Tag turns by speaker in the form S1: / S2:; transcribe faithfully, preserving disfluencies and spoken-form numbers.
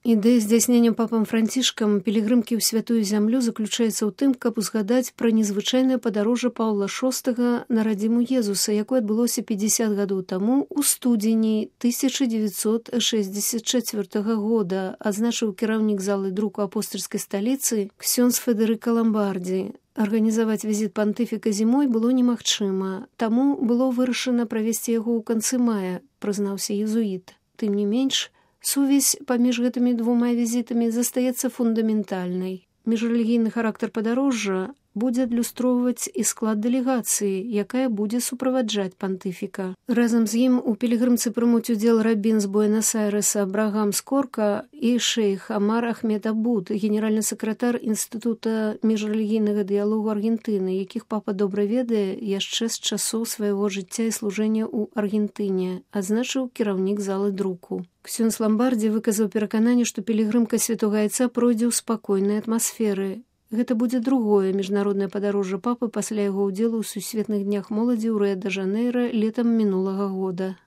S1: Ідэя здзяйснення папам Францішкам пілігрымкі ў святую зямлю заключаецца ў тым, каб узгадаць пра незвычайнае падарожжа Паўла шостага на радзіму Езуса, якое адбылося пятьдесят гадоў таму ў студзені тысяча девятьсот шестьдесят четвёртага года, адзначыў кіраўнік залы друку апостальскай сталіцы ксёндз Федэрыка Ламбардзі. Арганізаваць візіт пантыфіка зімой было немагчыма, таму было вырашана правесці яго ў канцы мая, прызнаўся езуіт. Тым не менш, сувязь паміж гэтымі двума візітамі застаецца фундаментальнай. Міжрэлігійны характар падарожжа будзе адлюстроўваць і склад дэлегацыі, якая будзе суправаджаць пантыфіка. Разам з ім у пілігрымцы прымуць удзел рабін з Буэнас-Айрэса Абрагам Скорка і шэйх Амар Ахмед Абуд, генеральны сакратар Інстытута міжрэлігійнага дыялогу Аргентыны, якіх папа добра ведае яшчэ з часоў свайго жыцця і служэння ў Аргентыне, адзначыў кіраўнік залы друку. Ксёндз Ламбардзі выказаў перакананне, што пілігрымка святога айца пройдзе ў спакойнай атмасферы. Гэта будзе другое міжнароднае падарожжа папы пасля яго ўдзелу ў сусветных днях моладзі ў Рыа-дэ-Жанейра летам мінулага года.